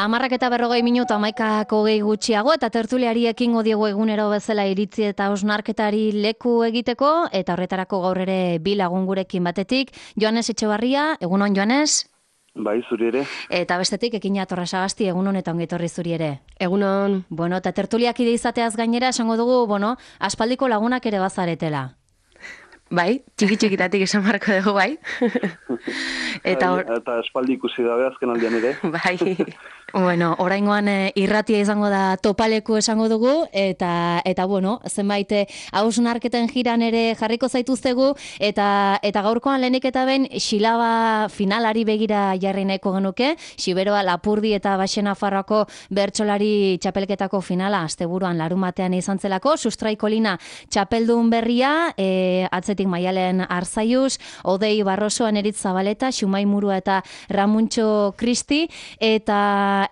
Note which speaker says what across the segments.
Speaker 1: 10:40 11:05 gutxiago eta tertuliari ekingo diegu egunero bezala iritzi eta hausnarketari leku egiteko eta horretarako gaur ere bi lagun gurekin batetik. Joanes Etxebarria, egunon Joanes?
Speaker 2: Bai, zuri ere.
Speaker 1: Eta bestetik Ekina Torrasagasti, egunon eta ongi etorri zuri ere.
Speaker 3: Egunon.
Speaker 1: Bueno, eta tertuliak ide izateaz gainera esango dugu, aspaldiko lagunak ere bazaretela.
Speaker 3: Bai, txiki-txikitatik esan marko dugu, bai.
Speaker 2: Eta espaldi ikusi dabe azken aldean ere.
Speaker 3: Bai.
Speaker 1: Bueno, oraingoan irratia izango da topaleku esango dugu, eta zenbait hausnarketen jiran ere jarriko zaituztegu, eta gaurkoan lehenik eta behin Xilaba finalari begira jarri nahiko genuke, Xiberoa Lapurdi eta Baxenafarroako bertsolari txapelketako finala, asteburuan larumatean izan zelako, Sustraikolina txapeldun berria, atzetik Maialen Arzaius, Odei Barroso, Eneritz Zabaleta, Xumai Murua eta Ramuntxo Kristi, eta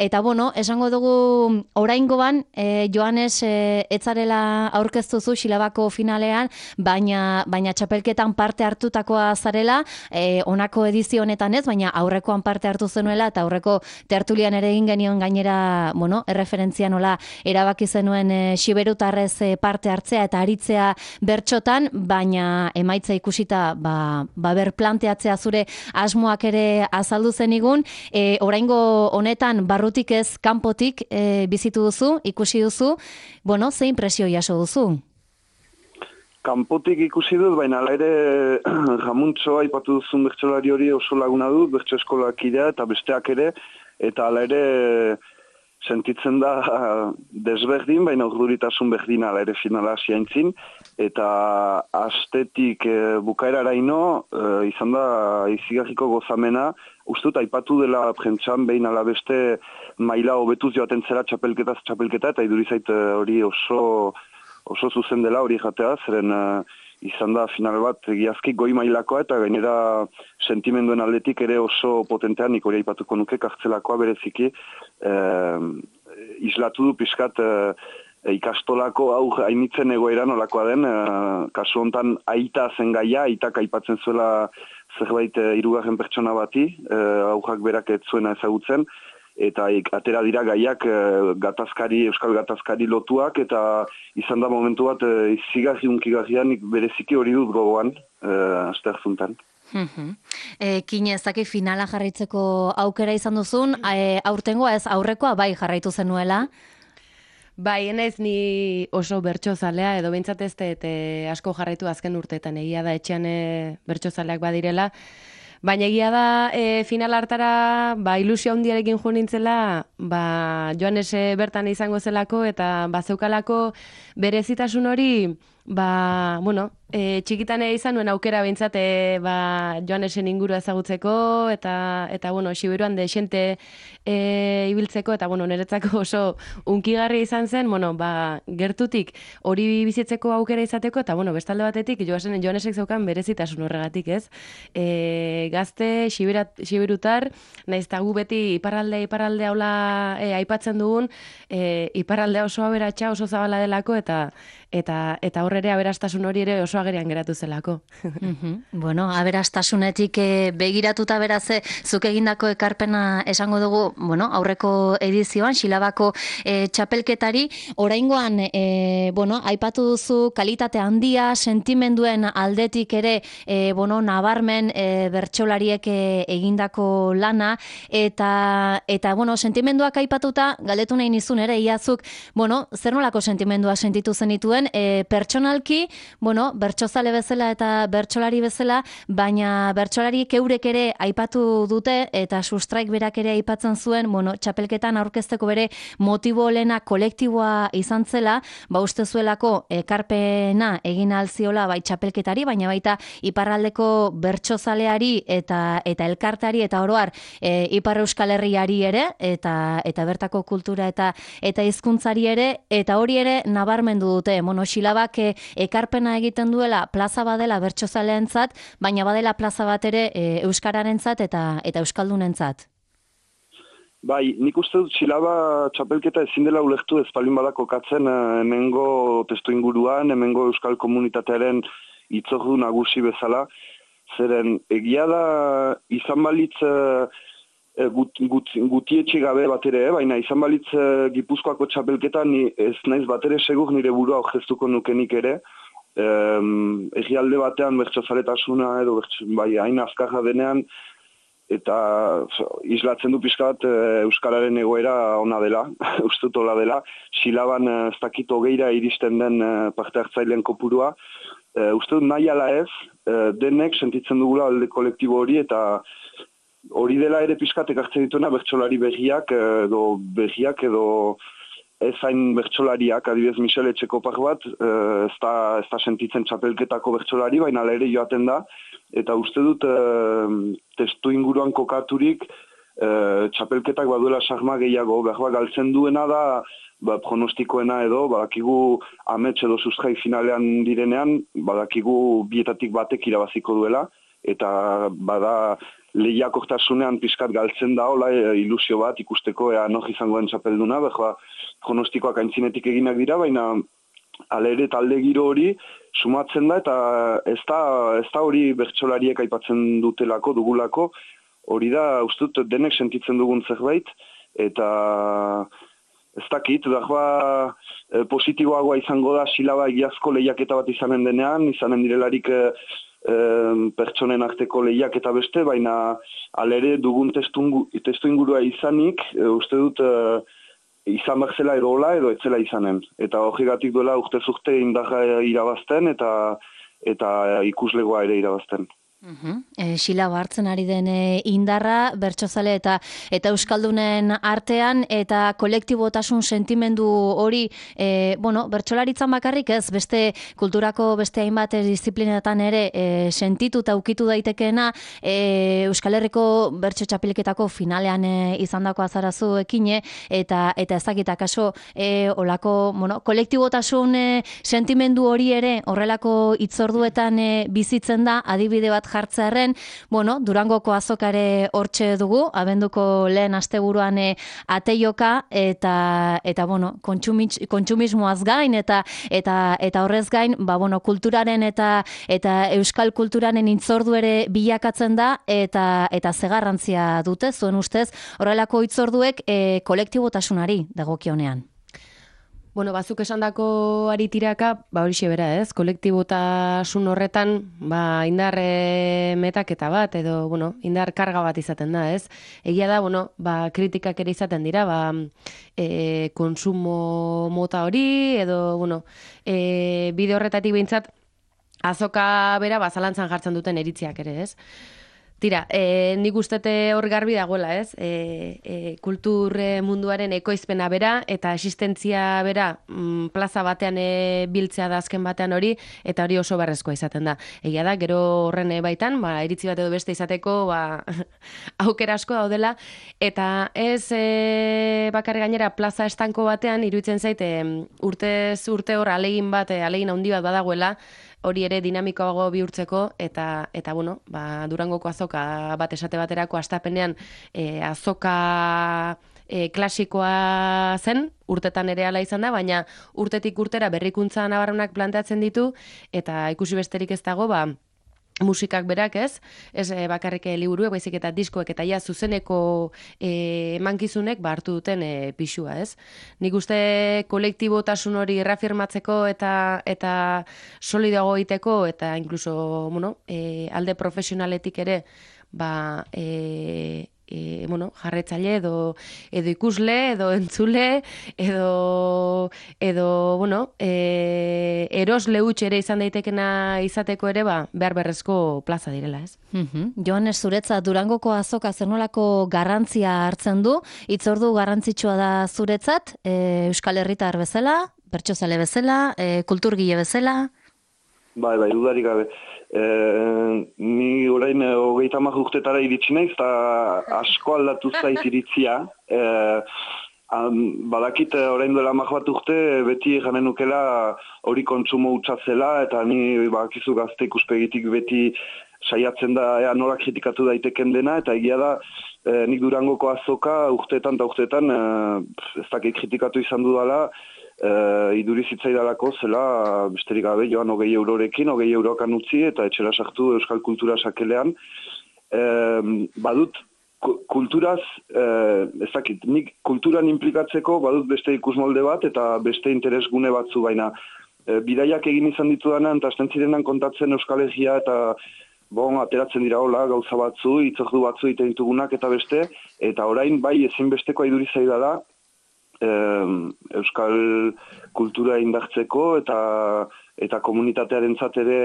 Speaker 1: esango dugu oraingoan, Joanes etzarela aurkeztuzu Xilabako finalean, baina txapelketan parte hartutakoa zarela, honako edizio honetan ez, baina aurrekoan parte hartu zenuela, eta aurreko tertulian ere egin genion gainera, erreferentzia nola erabaki zenuen xiberutarrez parte hartzea eta aritzea bertxotan, baina emaitza ikusita, berplanteatzea zure asmoak ere azaldu zenigun, oraingo honetan barrutik ez kanpotik bizitu duzu, ikusi duzu, ze impresio jaso duzu?
Speaker 2: Kanpotik ikusi dut, baina ala ere Ramuntxo aipatu duzun bertsolari hori oso laguna dut, bertso eskolak idea eta besteak ere, eta ala ere sentitzen da desberdin, baina urduritasun berdin ala ere finala ziaintzin, eta astetik bukaeraraino izan da izigarriko gozamena, ustut aipatu dela prentxan behin ala beste maila hobetuz joaten zera txapelketa, eta idurizait hori oso zuzen dela hori jatea, zeren izan da final bat egiazki goi mailakoa, eta gainera sentimenduen aldetik ere oso potentean, nik hori aipatuko nuke, kartzelakoa bereziki, islatu du pixkat ikastolako hainitzen egoera nolakoa den, kasu hontan aita zen gaia, aitak aipatzen zuela zerbait hirugarren pertsona bati, aujak berak ez zuena ezagutzen, eta atera dira gaiak euskal gatazkari lotuak, eta izan da momentu bat izigarri-unkigarrian bereziki hori dut gogoan, aste hartzuntan.
Speaker 1: Kine, ez dakit finala jarraitzeko aukera izan duzun, aurtengoa ez aurrekoa bai jarraitu zenuela?
Speaker 3: Bai, enez ni oso bertsozalea, edo behintzat ez asko jarraitu azken urteetan, egia da etxean bertsozaleak badirela, baina egia da final hartara ilusio handiarekin jo nintzela, Joanes bertan izango zelako eta zeukalako berezitasun hori, txikitan izan nuen aukera behintzat Joanesen ingurua ezagutzeko eta Xiberuan desente ibiltzeko, eta niretzako oso unkigarri izan zen, gertutik hori bizitzeko aukera izateko, eta bestalde batetik Joanesek zeukan berezitasun horregatik, ez? Gazte, xiberutar, nahiz eta gu beti iparralde haula aipatzen dugun, iparraldea oso aberatsa, oso zabala delako, eta horre aberastasun hori ere oso agerian geratu zelako.
Speaker 1: Aberastasunetik begiratuta beraz, zuk egindako ekarpena esango dugu, aurreko edizioan, Xilabako txapelketari, oraingoan, aipatu duzu kalitate handia, sentimenduen aldetik ere, nabarmen bertsolariek egindako lana, eta sentimenduak aipatuta, galdetu nahi nizun ere, iazuk, zer nolako sentimenduak sentitu zenituen, pertsonalki, bertsozale bezala eta bertsolari bezala, baina bertsolariek eurek ere aipatu dute, eta Sustraik berak ere aipatzen zuen, txapelketan aurkezteko bere motibo lehena kolektiboa izan zela, uste zuelako ekarpena egin alziola txapelketari, baina baita iparraldeko bertsozaleari eta elkartari eta oroar Ipar Euskal Herriari ere, eta bertako kultura eta hizkuntzari ere, eta hori ere nabarmendu dute, Xilabak ekarpena egiten duela plaza badela bertsozaleentzat, baina badela plaza bat ere euskararentzat eta euskaldunentzat.
Speaker 2: Bai, nik uste dut Xilaba txapelketa ezin dela ulertu ez palin badako katzen hemengo testu inguruan, hemengo euskal komunitatearen itzordu nagusi bezala, zeren egia da izan balitz gutietxe gabe bat ere, baina izan balitz Gipuzkoako txapelketa ni ez naiz bat ere segur nire burua aurkeztuko nukenik ere. Egialde batean bertsozaletasuna edo bai hain azkarra denean, eta islatzen du pixka bat Euskararen egoera ona dela, ustut hola dela, Silaban ez dakit hogeira iristen den parte hartzaileen kopurua. Uste dut nahi ala ez, denek sentitzen dugula alde kolektibo hori, eta hori dela ere pixkatek hartzen dituena bertsolari begiak edo ez hain bertsolariak, adibidez Michel Etxekopar bat, ez da sentitzen txapelketako bertsolari, baina ere joaten da, eta uste dut testu inguruan kokaturik txapelketak baduela sarma gehiago, behar galtzen duena da, pronostikoena edo, badakigu amets edo sustrai finalean direnean, badakigu bietatik batek irabaziko duela, eta bada lehiakortasunean pixkat galtzen da, hola ilusio bat ikusteko ea nor izangoen txapelduna, pronostikoak aintzinetik eginak dira, baina alere talde giro hori sumatzen da, eta ez da hori bertsolariek aipatzen dutelako, dugulako, hori da, ustut, denek sentitzen dugun zerbait, eta ez dakit, positiboagoa izango da Silaba egiazko lehiaketa bat izanen denean, izanen direlarik pertsonen arteko lehiaketa beste, baina alere dugun testu ingurua izanik, uste dut izan behar zela edo hola edo etzela izanen. Eta horregatik duela urte indarra irabazten eta ikuslegoa ere irabazten.
Speaker 1: Silaba hartzen ari den indarra, bertsozale eta euskaldunen artean, eta kolektibotasun sentimendu hori, bertsolaritzan bakarrik ez, beste kulturako beste hainbat disiplinatan ere sentitu eta ukitu daitekeena, Euskal Herriko bertso txapelketako finalean izandako azarazu ekine, eta ezakitak kaso olako, kolektibotasun sentimendu hori ere horrelako hitzorduetan bizitzen da, adibide bat jartzearen, Durangoko azokare hortxe dugu, abenduko lehen asteburuan ateioka, eta kontsumismoaz gain, eta horrez gain, kulturaren eta euskal kulturaren hitzordu ere bilakatzen da, eta zegarrantzia dute, zuen ustez, horrelako hitzorduek kolektibotasunari dagokionean.
Speaker 3: Bazuk esandako ari tiraka, horixe bera ez, kolektibotasun horretan, indar metaketa bat, edo, indar karga bat izaten da, ez? Egia da, kritikak ere izaten dira, konsumo mota hori, edo, bide horretatik behintzat, azoka bera, zalantzan jartzen duten eritziak ere, ez? Tira, nik ustete hor garbi dagoela, ez? Kultur munduaren ekoizpena bera eta existentzia bera plaza batean biltzea da azken batean hori, eta hori oso beharrezkoa izaten da. Egia da, gero horren baitan, iritzi bat edo beste izateko, aukera asko daudela, eta ez bakarrik gainera plaza estanko batean, iruditzen zaite urtez urte hor alegin handi bat badagoela, hori ere dinamikoago bihurtzeko, eta Durangoko azoka bat esate baterako astapenean azoka klasikoa zen, urtetan ere hala izan da, baina urtetik urtera berrikuntza nabarmenak planteatzen ditu, eta ikusi besterik ez dago, musikak berak ez bakarrik liburuek, baizik eta diskoek eta zuzeneko emankizunek hartu duten pixua, ez? Nik uste kolektibotasun hori reafirmatzeko eta solidago egiteko, eta inkluso, alde profesionaletik ere, jarretzaile edo ikusle, edo entzule, edo erosle huts ere izan daitekena izateko ere, behar berrezko plaza direla, ez?
Speaker 1: Joan, zuretzat Durangoko azoka zer nolako garrantzia hartzen du, hitzordu garrantzitsua da zuretzat, Euskal Herritar bezala, bertsozale bezala, kulturgile bezala?
Speaker 2: Bai, dudarik gabe. Ni orain 30 urtetara iritsi naiz, eta asko aldatu zait iritzia. Badakit orain duela 10 bat urte, beti janen nukela hori kontsumo hutsa zela, eta ni badakizu gazte ikuspegitik beti saiatzen da nola kritikatu daiteken dena, eta egia da nik Durangoko azoka urteetan eta urteetan ez dakit kritikatu izan dudala, iduri zitzaidalako zela besterik gabe joan 20 eurorekin, 20 eurokan utzi eta etxera sartu euskal kultura sakelean. Badut kulturaz, ez dakit, nik kulturan implikatzeko badut beste ikusmolde bat eta beste interesgune batzu, baina bidaiak egin izan ditudanan, eta azten zirenan kontatzen Euskal Herria eta ateratzen dira hola, gauza batzu, hitzordu batzu egiten ditugunak eta beste, eta orain bai ezinbestekoa iduri zaidala Euskal kultura indartzeko eta komunitatearentzat ere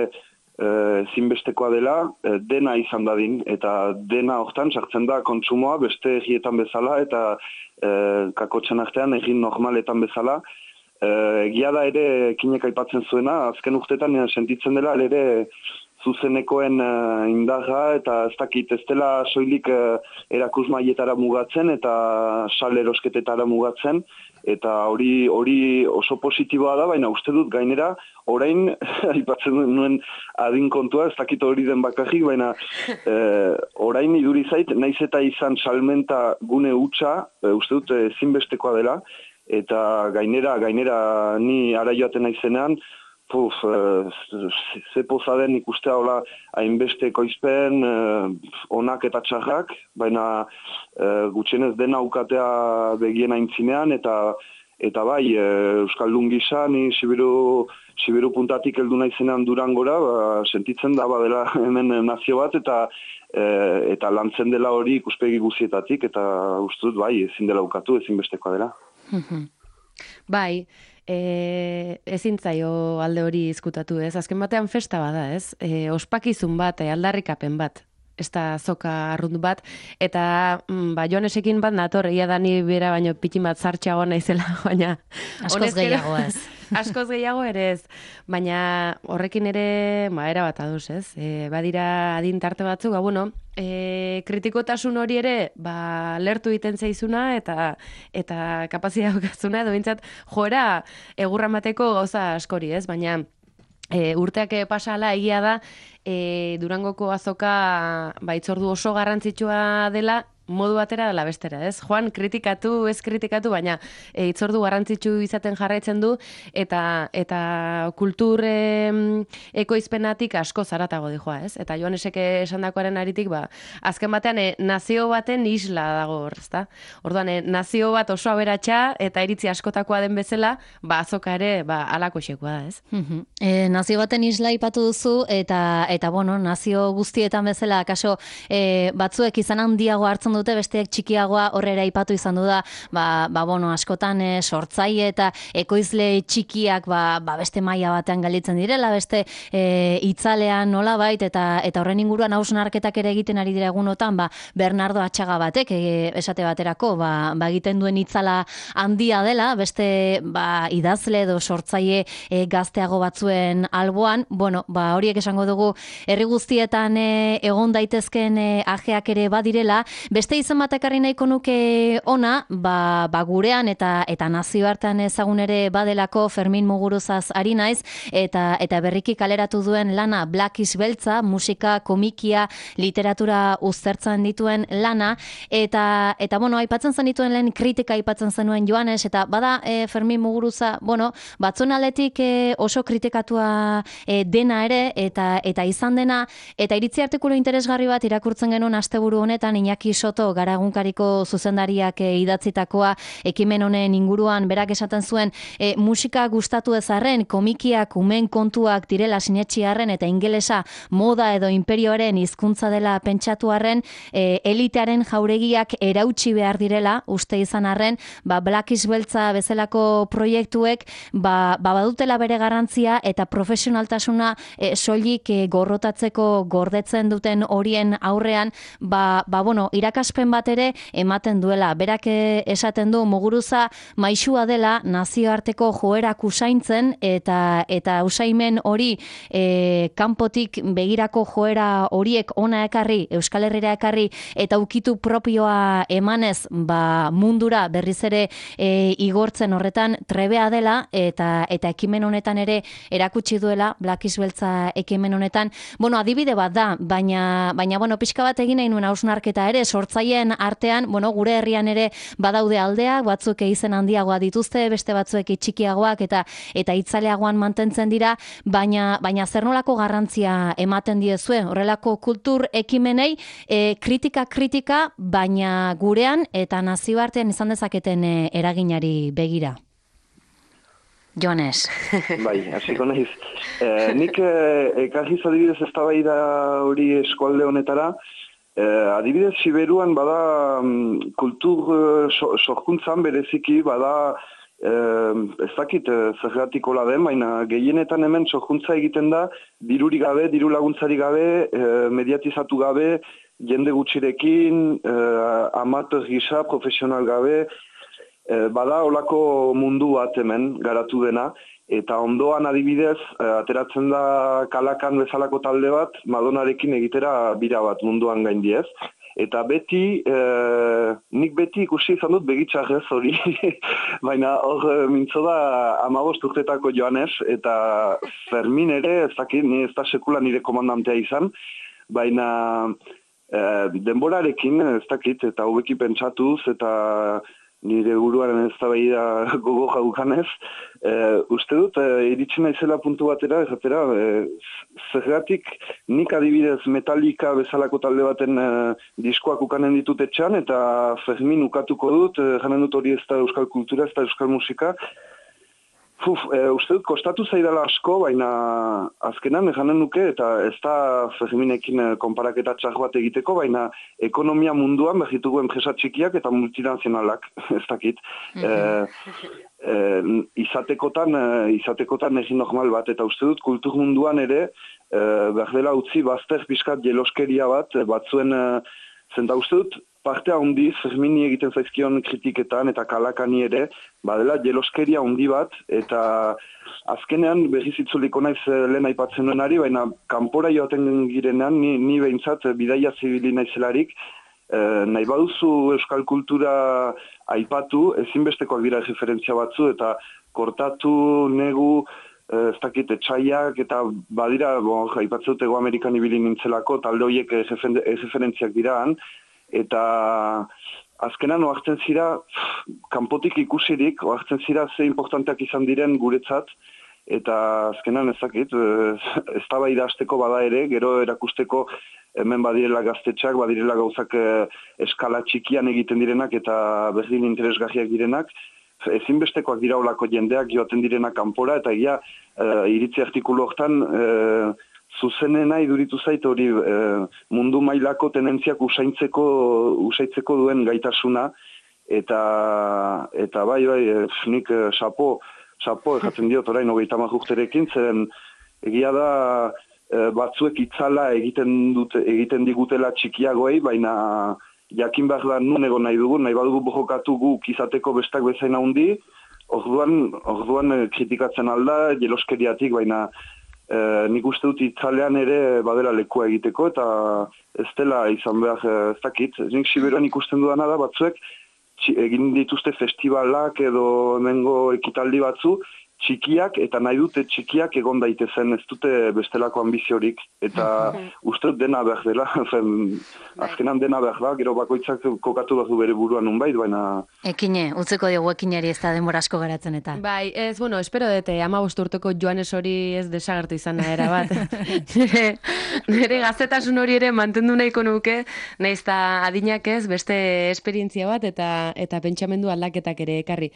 Speaker 2: ezinbestekoa dela dena izan dadin, eta dena hortan sartzen da kontsumoa beste egietan bezala eta kakotzen artean egin normaletan bezala. Egia da ere kinek aipatzen zuena, azken urtetan sentitzen dela ere zuzenekoen indarra eta ez dakit ez dela soilik erakusmaietara mugatzen eta sal erosketetara mugatzen, eta hori oso positiboa da, baina uste dut gainera orain aipatzen nuen adin kontua, ez dakit hori den bakarrik, baina orain iduri zait, naiz eta izan salmenta gune hutsa, uste dut ezinbestekoa dela, eta gainera ni ara joaten naizenean, ze poza den ikustea hola hainbeste ekoizpen, onak eta txarrak, baina gutxienez dena ukatea begien aintzinean, eta bai, Euskaldun gisa, ni Sibiru puntatik heldu naizenean Durangora, sentitzen da badela hemen nazio bat, eta lantzen dela hori ikuspegi guzietatik, eta uste dut bai, ezin dela ukatu, ezinbestekoa dela.
Speaker 3: Bai, ezin zaio alde hori izkutatu, ez? Azken batean festa bada, ez? Ospakizun bat, aldarrikapen bat, ez da zoka arrunt bat, eta Joanesekin bat nator, ia da ni bera baino pitin bat zartxagoa naizela, baina...
Speaker 1: Askoz gehiago ez.
Speaker 3: Askoz gehiago ere ez, baina horrekin ere, erabat aduz, ez? Badira adin tarte batzuk, kritikotasun hori ere, lertu egiten zaizuna eta kapazitatea daukatzuna, edo bintzat joera egurra mateko gauza askori, ez? Baina urteak pasala egia da, Durangoko azoka hitzordu oso garrantzitsua dela, modu batera dela bestera, ez? Joan, kritikatu, ez kritikatu, baina hitzordu garrantzitsu izaten jarraitzen du, eta kultur ekoizpenatik asko zaratago dijoa, ez? Eta Joanesek esandakoaren aritik, azken batean nazio baten isla dago hor, ezta? Orduan, nazio bat oso aberatsa eta iritzi askotakoa den bezala, azoka ere, alako xekoa da, ez?
Speaker 1: Nazio baten isla ipatu duzu, eta nazio guztietan bezala, kaso, batzuek izan handiago hartzen dute, besteak txikiagoa horrera ipatu izan du da, askotan sortzaile eta ekoizle txikiak beste maila batean galitzen direla, beste itzalean nolabait, eta horren inguruan hausnarketak ere egiten ari dira egunotan, Bernardo Atxaga batek, esate baterako, egiten duen itzala handia dela, beste idazle edo sortzaile gazteago batzuen alboan, horiek esango dugu herri guztietan egon daitezken ajeak ere badirela, beste izan bat ekarri nahiko nuke ona, gurean eta nazioartean ezagun ere badelako Fermin Muguruzaz ari naiz, eta berriki kaleratu duen lana Black is Beltza, musika, komikia, literatura uztertzen dituen lana, eta aipatzen zen dituen lehen kritika aipatzen zenuen Joanes, eta bada Fermin Muguruza, batzuen aldetik oso kritikatua dena ere, eta izan dena, eta iritzi artikulu interesgarri bat irakurtzen genuen asteburu honetan, Iñaki Soto Garagunkariko zuzendariak idatzitakoa ekimen honen inguruan, berak esaten zuen musika gustatu ezarren, komikiak umen kontuak direla sinetxi arren, eta ingelesa moda edo imperioaren hizkuntza dela pentsatu arren, elitearen jauregiak erautsi behar direla, uste izan arren, Black is Beltza bezalako proiektuek badutela bere garrantzia eta profesionaltasuna soilik gorrotatzeko gordetzen duten horien aurrean, irakaspen bat ere ematen duela. Berak esaten du Muguruza maisua dela nazioarteko joerak usaintzen, eta usaimen hori kanpotik begirako joera horiek ona ekarri, Euskal Herrira ekarri, eta ukitu propioa emanez mundura berriz ere igortzen horretan trebea dela, eta ekimen honetan ere erakutsi duela, Black is Beltza ekimen honetan. Adibide bat da, baina pixka bat egin nahi nuen hausnarketa ere, sortzaile sortzaileen artean, bueno, gure herrian ere badaude aldeak, batzuk izen handiagoa dituzte, beste batzuek txikiagoak eta itzaleagoan mantentzen dira, baina zer nolako garrantzia ematen diezue, horrelako kultur ekimenei kritika, baina gurean eta nazioartean izan dezaketen eraginari begira. Joanes.
Speaker 2: Bai, hasiko naiz. Nik ekarriz adibidez eztabaida hori eskualde honetara, adibidez Siberuan bada kultur sorkuntzan bereziki bada ez dakit zergatikola den, baina gehienetan hemen sorkuntza egiten da dirurik gabe, diru laguntzari gabe, mediatizatu gabe, jende gutxirekin, amateur gisa, profesional gabe, bada olako mundu bat hemen garatu dena, eta ondoan adibidez, ateratzen da Kalakan bezalako talde bat, Madonarekin egitera bira bat munduan gaindiez. Eta beti, nik beti ikusi izan dut begitxarrez hori, baina hor mintzo da 15 urtetako Joanes, eta Fermin ere, ez dakit, ez da sekula nire komandantea izan, baina denborarekin, ez dakit, eta hobeki pentsatuz, eta nire buruaren eztabaida gogo jaukanez, uste dut, iritsi naizela puntu batera, zergatik nik adibidez Metallica bezalako talde baten diskoak ukanen ditut etxan, eta Fermin ukatuko dut, janen dut hori ez da euskal kultura, ez da euskal musika. Uste dut, kostatu zaidala asko, baina azkenan janen nuke, eta ez da Ferminekin konparaketa txar bat egiteko, baina ekonomia munduan behitugu enpresa txikiak eta multinazionalak, ez dakit. Izatekotan egin normal bat, eta uste dut kultur munduan ere, behar dela utzi bazter pixkat jeloskeria bat, batzuen, zenta uste dut, partea handiz, Fermini egiten zaizkion kritiketan eta Kalakani ere, badela jeloskeria handi bat, eta azkenean berriz itzuliko naiz lehen aipatzen duenari, baina kanpora joaten girenean, ni behintzat bidaia zibili naizelarik, nahi baduzu euskal kultura aipatu, ezinbestekoak dira referentzia batzu, eta kortatu, negu, ez dakit, etxaiak, eta badira, aipatzen dut Ego Amerikan ibili nintzelako, talde horiek referentziak diraan, eta azkenan oartzen zira, kanpotik ikusirik, oartzen zira ze importanteak izan diren guretzat, eta azkenan ezakit, eztabaida hasteko bada ere, gero erakusteko hemen badirela gaztetxak, badirela gauzak eskala txikian egiten direnak eta berdin interesgarriak direnak, ezinbestekoak dira olako jendeak joaten direnak kanpora, eta egia iritzi artikulu hortan, zuzenena iduritu zait hori mundu mailako tenentziak usaitzeko duen gaitasuna, eta bai, nik sapo erratzen diot orain 30 urterekin, zeren egia da batzuek itzala egiten digutela txikiagoei, baina jakin behar da nun egon nahi badugu bojokatu guk izateko bestak bezain handi, orduan kritikatzen alda, jeloskeriatik, baina nik uste dut itzalean ere badela lekua egiteko, eta ez dela izan behar ez dakit. Nik Siberuan ikusten dudana da batzuek, egin dituzte festivalak edo hemengo ekitaldi batzu, txikiak, eta nahi dute txikiak egon daitezen, ez dute bestelako ambiziorik, eta uste dut dena behar dela, azkenan dena behar da, gero bakoitzak kokatu behar du bere buruan nunbait, baina...
Speaker 1: Ekine, utzeko diogu ekinari ez da denbora asko garatzen eta.
Speaker 3: Bai, ez, bueno, espero dute, 15 urteko Joanes hori ez desagertu izan era bat. Nire gaztetasun hori ere mantendu nahiko nuke, nahiz eta adinak ez, beste esperientzia bat, eta pentsamendu aldaketak ere ekarri.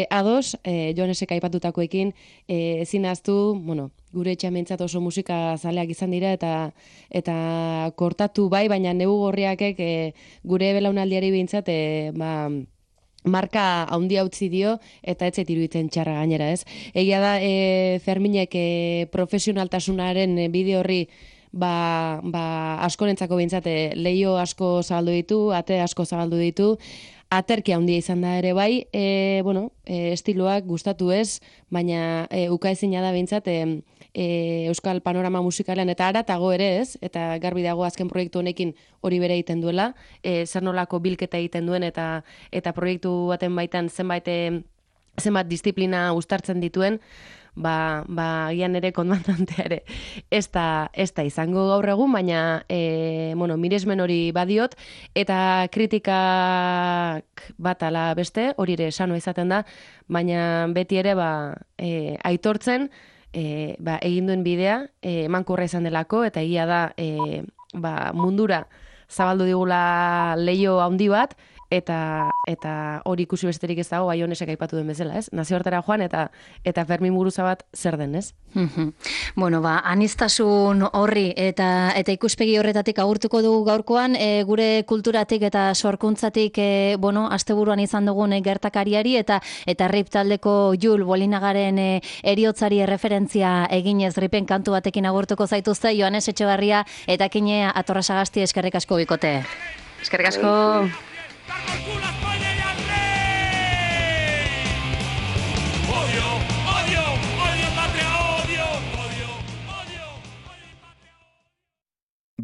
Speaker 3: Ados, Joanesek aipatutakoekin, ezin ahaztu, bueno, gure etxamentzat oso musika zaleak izan dira, eta kortatu bai, baina negu gorriakek gure belaunaldiari behintzat, marka handia utzi dio, eta ez zait iruditzen txarra gainera, ez? Egia da, Ferminek profesionaltasunaren bideo horri askorentzako behintzat leio asko zabaldu ditu, ate asko zabaldu ditu, aterkia handia izan da ere bai, estiloak gustatu ez, baina ukaezina da behintzat euskal panorama musikalean eta haratago ere ez, eta garbi dago azken proiektu honekin hori bere egiten duela, zer nolako bilketa egiten duen eta proiektu baten baitan zenbat disiplina uztartzen dituen, gian ere komandantea ere ez da izango gaur egun, baina miresmen hori badiot, eta kritikak bat ala beste, hori ere sano izaten da, baina beti ere aitortzen egin duen bidea emankorra izan delako, eta egia da mundura zabaldu digula leio handi bat, eta hori ikusi besterik ez dago, Baionesek aipatu den bezala, ez? Nazioartera joan eta Fermin Muguruza bat zer den, ez?
Speaker 1: Bueno, aniztasun horri eta ikuspegi horretatik agurtuko dugu gaurkoan, gure kulturatik eta sorkuntzatik, asteburuan izan dugun gertakariari eta RIP taldeko Jul Bolinagaren eriotzari erreferentzia eginez Ripen kantu batekin agurtuko zaituzte, Joanes Etxebarria eta Kine Atorrasagasti, eskerrik asko bikote.
Speaker 3: Eskerrik asko.
Speaker 4: Por culo